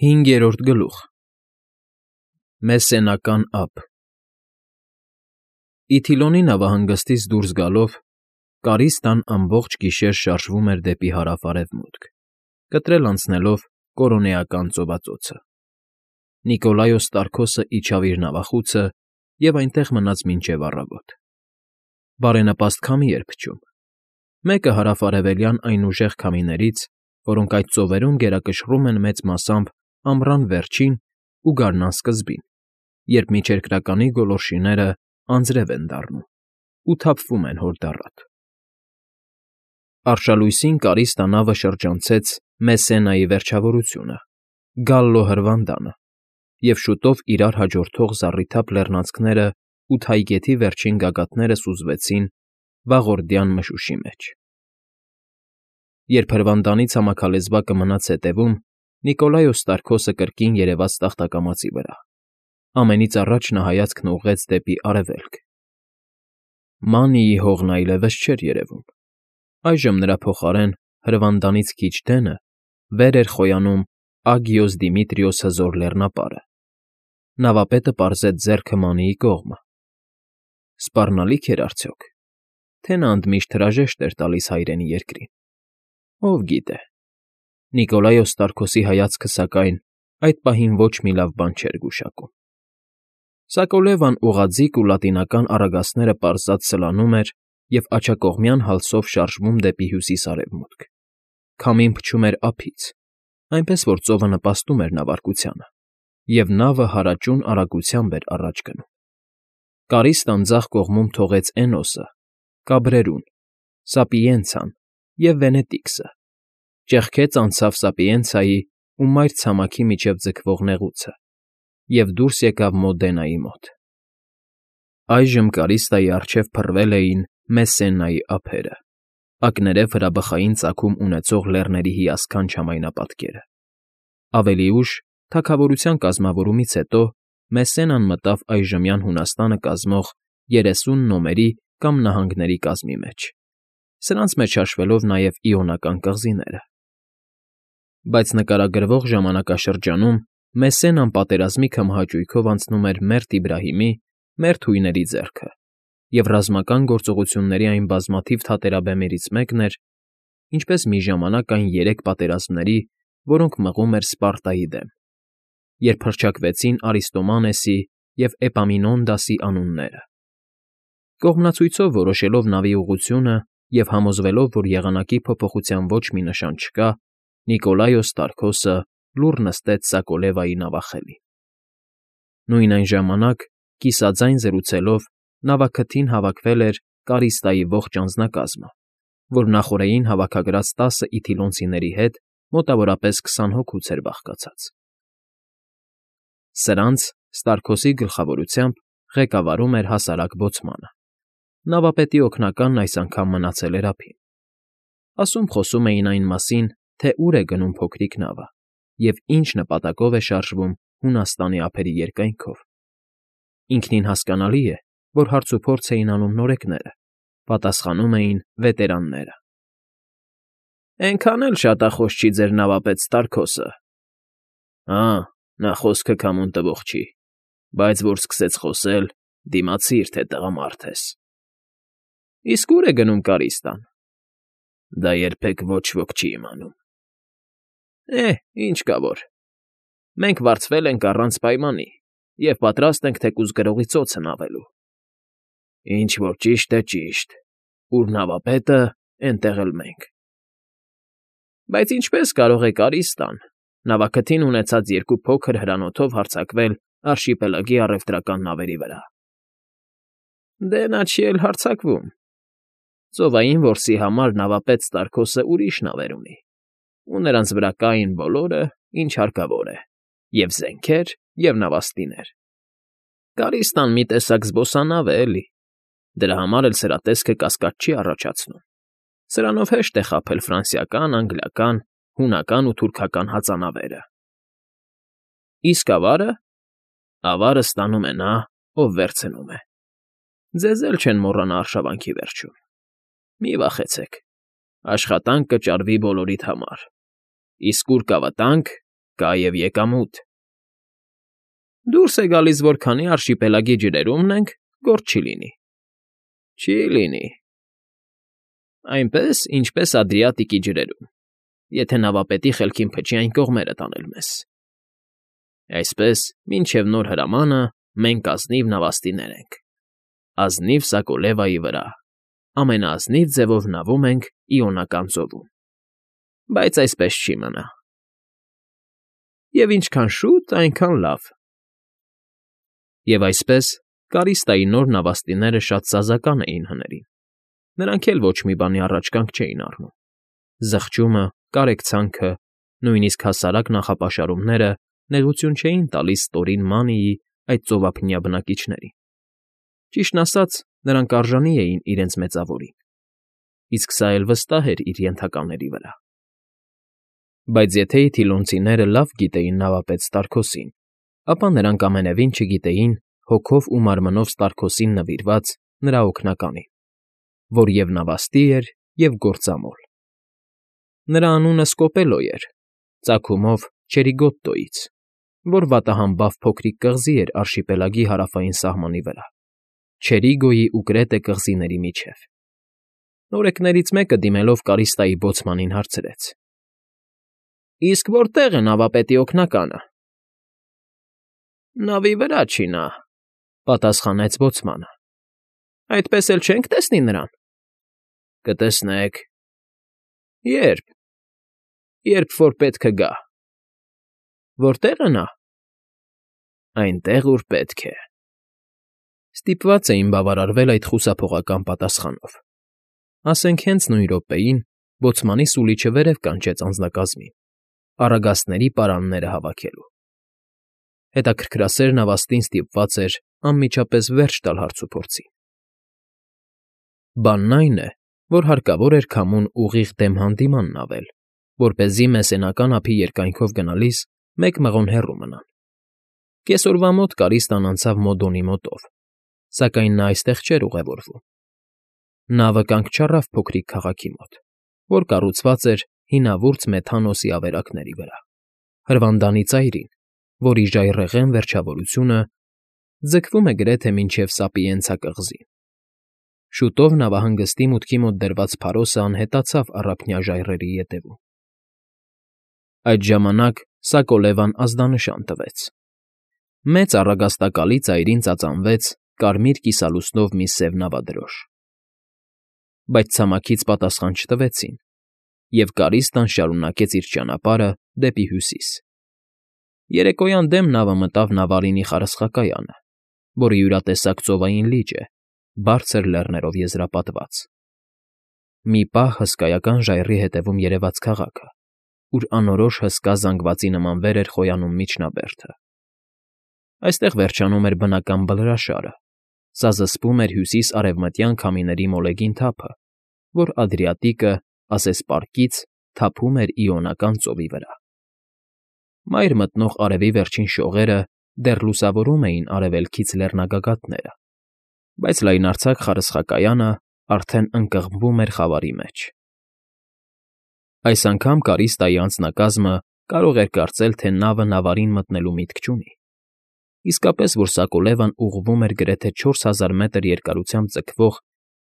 5-րդ գլուխ Մեսենական ափ Իթիլոնի նավահանգստից դուրս գալով Կարիստան ամբողջ գիշեր շարժվում էր դեպի հարավ֊արևմուտք, կտրել անցնելով Կորոնեական ծովածոցը։ Նիկոլայոս Տարքոսը իջավ իր նավախուցը և այնտեղ մնաց մինչև առավոտ։ Բարենպաստ քամի էր փչում, մեկը հարավ֊արևելյան այն ուժեղ քամիներից, որոնք այդ ծովերում գերակշռում են մեծ մասամբ ամռան վերջին ու գարնան սկզբին, երբ միջերկրականի գոլորշիները անձրև են դառնում ու թափվում են հորդառատ։ Արշալույսին Կարիստա նավը շրջանցեց Մեսենայի վերջավորությունը՝ Գալլո հրվանդանը, և շուտով իրար հաջորդող զառիթափ լեռնանցքներն ու թայգեթի վերջին գագաթները սուզվեցին վաղորդյան մշուշի մեջ։ Երբ հրվանդանի ցամաքալեզվակը մնաց հետևում, Նիկոլայոս Տարքոսը կրկին երևաց տախտակամածի վրա։ Ամենից առաջ նա հայացքն ուղղեց դեպի արևելք։ Մանիի հողն այլևս չէր երևում։ Այժմ նրա փոխարեն հրվանդանից քիչ դենը վեր էր խոյանում Ագիոս Դիմիտրիոս հզոր լեռնապարը։ Նավապետը պարզեց ձեռքը Մանիի կողմը։ Սպառնալի՞ք էր արդյոք, թե նա ընդմիշտ հրաժեշտ էր տալիս հայրենի երկրին։ Ով գիտե։ Նիկոլայոս Տարքոսի հայացքը, սակայն, այդ պահին ոչ մի լավ բան չէր գուշակում։ Սակոլևան ուղղաձիգ ու լատինական առագաստները պարզած սլանում էր և աջակողմյան հալսով շարժվում դեպի հյուսիս֊արևմուտք։ Քամին փչում էր ափից, այնպես որ ծովը նպաստում էր նավարկությանը, և նավը հարաճուն արագությամբ էր առաջ գնում։ Կարիստան ձախ կողմում թողեց Էնոսը, Կաբրերուն, Սապիենցան և Վենետիքսը, ճեղքեց անցավ Սապիենցայի ու մայր ցամաքի միջև ձգվող նեղուցը և դուրս եկավ Մոդենայի մոտ։ Այժմ Կարիստայի առջև փռվել էին Մեսենայի ափերը, ակներև հրաբխային ծագում ունեցող լեռների հիասքանչ համայնապատկերը։ Ավելի ուշ, թագավորության կազմավորումից հետո, Մեսենան մտավ այժմյան Հունաստանը կազմող 30 նոմերի կամ նահանգների կազմի մեջ, սրանց մեջ հաշվելով նաև Իոնական կղզիները։ Բայց նկարագրվող ժամանակաշրջանում Մեսենան պատերազմի քմահաճույքով անցնում էր Մերտ Իբրահիմի, մերթ հույների ձեռքը, և ռազմական գործողությունների այն բազմաթիվ թատերաբեմերից մեկն էր, ինչպես մի ժամանակ այն 3 պատերազմների, որոնք մղում էր Սպարտայի դեմ, երբ հռչակվեցին Արիստոմանեսի և Էպամինոնդասի անունները։ Կողմնացույցով որոշելով նավի ուղղությունը և համոզվելով, որ եղանակի փոփոխության ոչ մի նշան չկա, Նիկոլայոս Տարքոսը լուռ նստեց Սակոլևայի նավախելին։ Նույն այն ժամանակ, կիսաձայն զրուցելով, նավաքթին հավաքվել էր Կարիստայի ողջ անձնակազմը, որ նախօրեին հավաքագրած 10 իթիլոնցիների հետ մոտավորապես 20 հոգուց էր բաղկացած։ Սրանց Ստարքոսի գլխավորությամբ ղեկավարում էր հասարակ բոցմանը։ Նավապետի օգնականն այս անգամ մնացել էր ափին։ Ասում֊խոսում էին այն մասին, թե ուր է գնում փոքրիկ նավը և ինչ նպատակով է շարժվում Հունաստանի ափերի երկայնքով։ Ինքնին հասկանալի է, որ հարցուփորձ էին անում նորեկները, պատասխանում էին վետերանները։ Էնքան էլ շատախոս չի ձեր նավապետ Ստարքոսը։ Հա, նա խոսքը քամուն տվող չի, բայց որ սկսեց խոսել, դիմացիր, թե տղամարդ ես։ Իսկ ո՞ւր է գնում Կարիստան։ Դա երբեք ոչ ոք չի իմանում։ Ինչ կա որ։ Մենք վարձվել ենք առանց պայմանի և պատրաստ ենք թեկուզ գրողի ծոցն ավելու։ Ինչ որ ճիշտ է, ճիշտ, ուր նավապետը, էնտեղ էլ մենք։ Բայց ինչպե՞ս կարող է Կարիստան, նավաքթին ունեցած 2 փոքր հրանոթով հարձակվել արշիպելագի առևտրական նավերի վրա։ Դե նա չի էլ հարձակվում։ Ծովային որսի համար նավապետ Ստարքոսը ուրիշ նավեր ունի, ու նրանց վրա կային բոլորը, ինչ հարկավոր է, և զենքեր, և նավաստիներ։ Կարիստան մի տեսակ զբոսանավ է, էլի։ Դրա համար էլ սրա տեսքը կասկած չի առաջացնում։ Սրանով հեշտ է խաբել ֆրանսիական, անգլիական, հունական ու թուրքական հածանավերը։ Իսկ ավարը։ Ավարը ստանում է նա, ով վերցնում է։ Ձեզ էլ չեն մոռանա արշավանքի վերջում։ Մի վախեցեք, աշխատանք կճարվի բոլորիդ համար, իսկ ուր կա վտանգ, կա և եկամուտ։ Դուրս է գալիս, որ քանի արշիպելագի ջրերումն ենք, գործ չի լինի։ Չի լինի։ Այնպես, ինչպես Ադրիատիկի ջրերում, եթե նավապետի խելքին փչի այն կողմերը տանել մեզ։ Այսպես, մինչև նոր հրամանը մենք ազնիվ նավաստիներ ենք, ազնիվ Սակոլևայի վրա, ամենաազնիվ ձևով նավում ենք Իոնական ծովում, բայց այսպես չի մնա։ Եվ ինչքան շուտ, այնքան լավ։ Եվ այսպես, Կարիստայի նոր նավաստիները շատ սազական էին հներին, նրանք էլ ոչ մի բանի առաջ կանգ չէին առնում։ Զղջումը, կարեկցանքը, նույնիսկ հասարակ նախապաշարումները նեղություն չէին տալիս Տորին Մանիի այդ ծովափնյա բնակիչներին։ Ճիշտն ասած, նրանք արժանի էին իրենց մեծավորին, իսկ սա էլ վստահ էր իր ենթակաների վրա։ Բայց եթե իթիլոնցիները լավ գիտեին նավապետ Ստարքոսին, ապա նրանք ամենևին չգիտեին հոգով ու մարմնով Ստարքոսին նվիրված նրա օգնականին, որ և նավաստի էր, և գործամոլ։ Նրա անունը Սկոպելո էր, ծագումով Չերիգոտտոից, որ վատահամբավ փոքրիկ կղզի էր արշիպելագի հարավային սահմանի վրա, Չերիգոյի ու Կրետե կղզիների միջև։ Նորեկներից մեկը դիմելով Կարիստայի բոցմանին հարցրեց. Իսկ որտե՞ղ է նավապետի օգնականը։ Նավի վրա չի նա, պատասխանեց բոցմանը։ Այդպես էլ չենք տեսնի նրան։ Կտեսնեք։ Երբ։ Երբ որ պետքը գա։ Որտե՞ղ է նա։ Այնտեղ, ուր պետք է։ Ստիպված էին բավարարվել այդ խուսափողական պատասխանով։ Ասենք հենց նույն րոպեին բոցմանի սուլիչը վերև կանչեց անձնակազմին, առագաստների պարանները հավաքելու։ Հետաքրքրասեր նավաստին ստիպված էր անմիջապես վերջ տալ հարցուփորձին։ Բանն այն է, որ հարկավոր էր քամուն ուղիղ դեմ հանդիման նավել, որպեսզի մեսենական ափի երկայնքով գնալիս մեկ մղոն հեռու մնան։ Կեսօրվա մոտ Կարիստան անցավ Մոդոնի մոտով, սակայն նա այստեղ չէր ուղևորվում։ Նավը կանգ չառավ փոքրիկ քաղաքի մոտ, որ կառուցված էր հինավուրց Մեթանոսի ավերակների վրա, հրվանդանի ծայրին, որի ժայռերն վերջավորությունը ձգվում է գրեթե մինչև Սապիենցա կղզին։ Շուտով նավահանգստի մուտքի մոտ դրված փարոսը անհետացավ առափնյա ժայռերի ետևում։ Այդ ժամանակ Սակոլևան ազդանշան տվեց։ Մեծ առագաստակալի ծայրին ծածանվեց կարմիր կիսալուսնով մի սև նավադրոշ։ Բայց ցամաքից պատասխան չտվեցին, և Կարիստան շարունակեց իր ճանապարհը դեպի հյուսիս։ Երեկոյան դեմ նավը մտավ Նավարինի խարսխակայանը, որը յուրատեսակ ծովային լիճ է, բարձր լեռներով եզրապատված։ Մի պահ հսկայական ժայռի հետևում երևաց քաղաքը, ուր անորոշ հսկա զանգվածի նման վեր էր խոյանում միջնաբերդը։ Այստեղ վերջանում էր բնական բլրաշարը, սա զսպում էր հյուսիս֊արևմտյան քամիների մոլեգին թափը, որ Ադրիատիկը, ասես պարկից, թափում էր Իոնական ծովի վրա։ Մայր մտնող արևի վերջին շողերը դեռ լուսավորում էին արևելքից լեռնագագաթները, բայց լայնարձակ խարսխակայանը արդեն ընկղմվում էր խավարի մեջ։ Այս անգամ Կարիստայի անձնակազմը կարող էր կարծել, թե նավը Նավարին մտնելու միտք չունի։ Իսկապես, որ Սակոլևան ուղղվում էր գրեթե 4000 մետր երկարությամբ ձգվող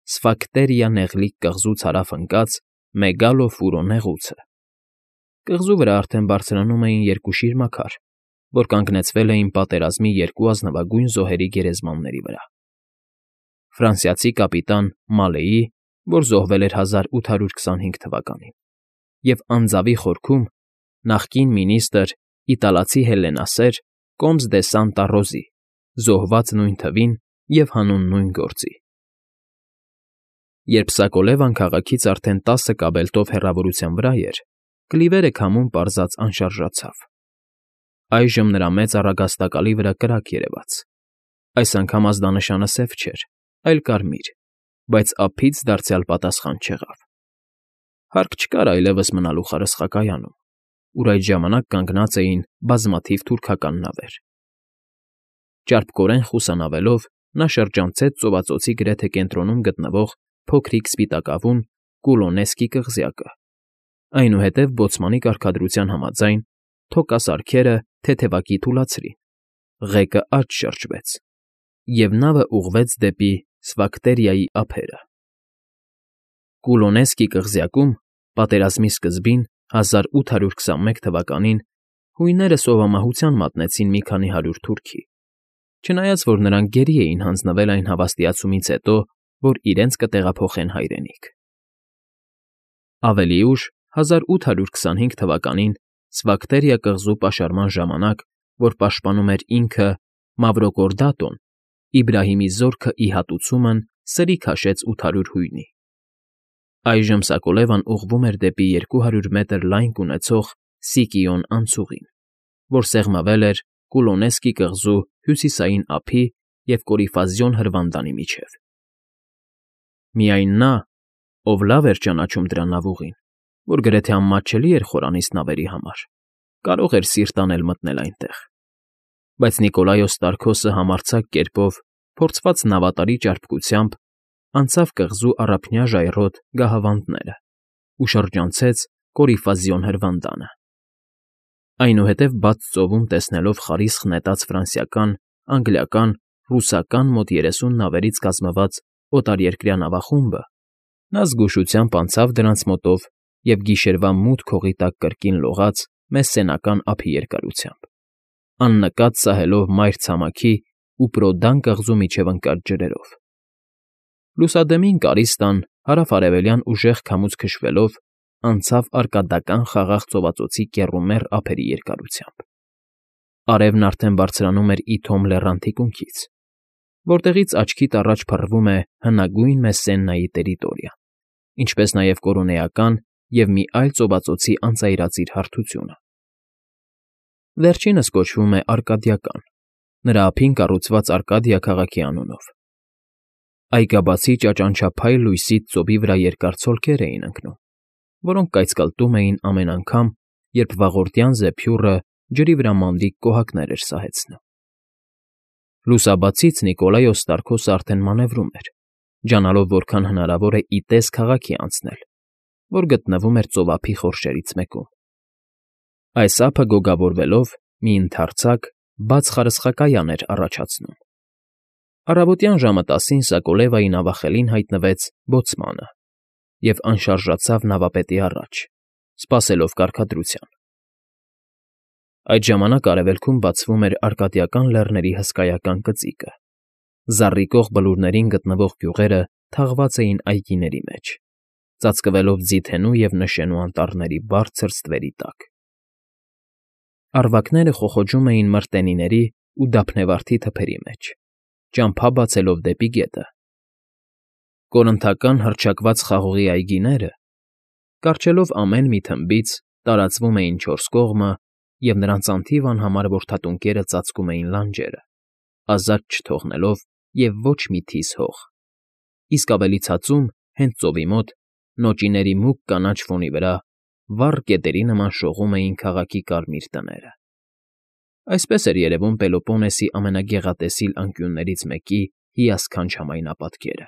Սֆակտերիա նեղլիկ կղզուց հարավ ընկած Մեգալոֆուրո նեղուցը։ Կղզու վրա արդեն բարձրանում էին երկու շիրմաքար, որ կանգնեցվել էին պատերազմի երկու ազնվագույն զոհերի գերեզմանների վրա։ Ֆրանսիացի կապիտան Մալեի, որ զոհվել էր 1825 թվականին, և անձավի խորքում նախկին մինիստրը իտալացի հելլենասեր Կոմս դե Սանտա Ռոզի, զոհված նույն թվին և հանուն նույն գործի։ Երբ Սակոլևան քաղաքից արդեն 10 կաբելտով հեռավորության վրա էր, կլիվերը քամուն պարզած անշարժացավ։ Այժմ նրա մեծ առագաստակալի վրա կրակ երևաց։ Այս անգամ ազդանշանը սև չէր, այլ կարմիր, բայց ափից դարձյալ պատասխան չեղավ։ Հարկ չկար այլևս մնալու խարսխակայանում, ուր այդ ժամանակ կանգնած էին բազմաթիվ թուրքական նավեր։ Ճարպկորեն խուսանավելով նա շրջանցեց ծովածոցի գրեթե կենտրոնում գտնվող փոքրիկ սպիտակավուն Կուլոնեսկի կղզյակը, այնուհետև բոցմանի կարգադրության համաձայն թոկասարքերը թեթևակի թուլացրին, ղեկը աջ շրջվեց, և նավը ուղղվեց դեպի Սվակտերիայի ափերը։ Կուլոնեսկի կղզյակում պատերազմի սկզբին 1821 թվականին հույները սովամահության մատնեցին մի քանի հարյուր թուրքի, չնայած որ նրանք գերի էին հանձնվել այն հավաստիացումից հետո, որ իրենց կտեղափոխեն հայրենիք։ Ավելի ուշ, 1825 թվականին Սվակտերիա կղզու պաշարման ժամանակ, որ պաշտպանում էր ինքը Մավրոկորդատոն, Իբրահիմի զորքը ի հատուցումն սրի քաշեց 800 հույնի։ Այժմ Սակոլևան ուղղվում էր դեպի 200 մետր լայնք ունեցող Սիկիոն անցուղին, որ սեղմվել էր Կուլոնեսկի կղզու հյուսիսային ափի և Կորիֆազյոն հրվանդանի միջև։ Միայն նա, ով լավ էր ճանաչում դրա նավուղին, որ գրեթե անմատչելի էր խորանից նավերի համար, կարող էր սիրտ անել մտնել այնտեղ։ Բայց Նիկոլայոս Տարքոսը համարձակ կերպով, փորձված նավատարի ճարպկությամբ, անցավ կղզու առափնյա ժայռոտ գահավանդները ու շրջանցեց Կորիֆազյոն հրվանդանը։ Այնուհետև բաց ծովում տեսնելով խարիսխ նետած ֆրանսիական, անգլիական, ռուսական մոտ 30 նավերից կազմված օտարերկրյա նավախումբը, նա զգուշությամբ անցավ դրանց մոտով և գիշերվա մութ հողի տակ կրկին լողաց Մեսսենական ափի երկարությամբ, աննկատ սահելով մայր ցամաքի ու Պրոդան կղզու միջև ընկած ջրերով։ Լուսադեմին կարիստան հարավ֊արևելյան ուժեղ քամուց քշվելով անցավ արկադական խաղաղ ծովածոցի կեռումեռ ափերի երկարությամբ։ Արևն արդեն բարձրանում էր Իթոմ լեռան թիկունքից, որտեղից աչքիդ առաջ փռվում է հնագույն Մեսսենայի տերիտորիան, ինչպես նաև կորունեական և մի այլ ծովածոցի անծայրածիր հարթությունը։ Վերջինս կոչվում է Արկադիական, նրա ափին կառուցված Արկադիա քաղաքի անունով։ Այգաբացի ճաճանչափայլ լույսից ծովի վրա երկար ցոլքեր էին ընկնում, որոնք կայծկլտում էին ամեն անգամ, երբ վաղորդյան զեփյուռը ջրի վրա մանրիկ կոհակներ էր սահեցնում։ Լուսաբացից Նիկոլայոս Տարքոսը արդեն մանևրում էր, ջանալով որքան հնարավոր է ի տես քաղաքի անցնել, որ գտնվում էր ծովափի խորշերից մեկում։ Այս ափը գոգավորվելով մի ընդարձակ, բաց խարսխակայան էր առաջացնում։ Առավոտյան ժամը 10-ին Սակոլևայի նավախելին հայտնվեց բոցմանը և անշարժացավ նավապետի առաջ, սպասելով կարգադրության։ Այդ ժամանակ արևելքում բացվում էր Արկադիական լեռների հսկայական կծիկը, զառիկող բլուրներին գտնվող գյուղերը թաղված էին այգիների մեջ, ծածկվելով ձիթենու և նշենու անտառների բարձր ստվերի տակ։ Առվակները խոխոջում էին մրտենիների ու դափնեվարդի թփերի մեջ, ճամփա բացելով դեպի գետը։ Կորնթական հռչակված խաղողի այգիները, կառչելով ամեն մի թմբից, տարածվում էին 4 կողմը, և նրանց անթիվ անհամար որդատունկերը ծածկում էին լանջերը, ազատ չթողնելով և ոչ մի թիս հող, իսկ ավելի ցածում, հենց ծովի մոտ, նոճիների մուգ կանաչ ֆոնի վրա վառ կետերի նման շողում էին քաղաքի կարմիր տները։ Այսպես էր երևում Պելոպոնեսի ամենագեղատեսիլ անկյուններից մեկի հիասքանչ համայնապատկերը։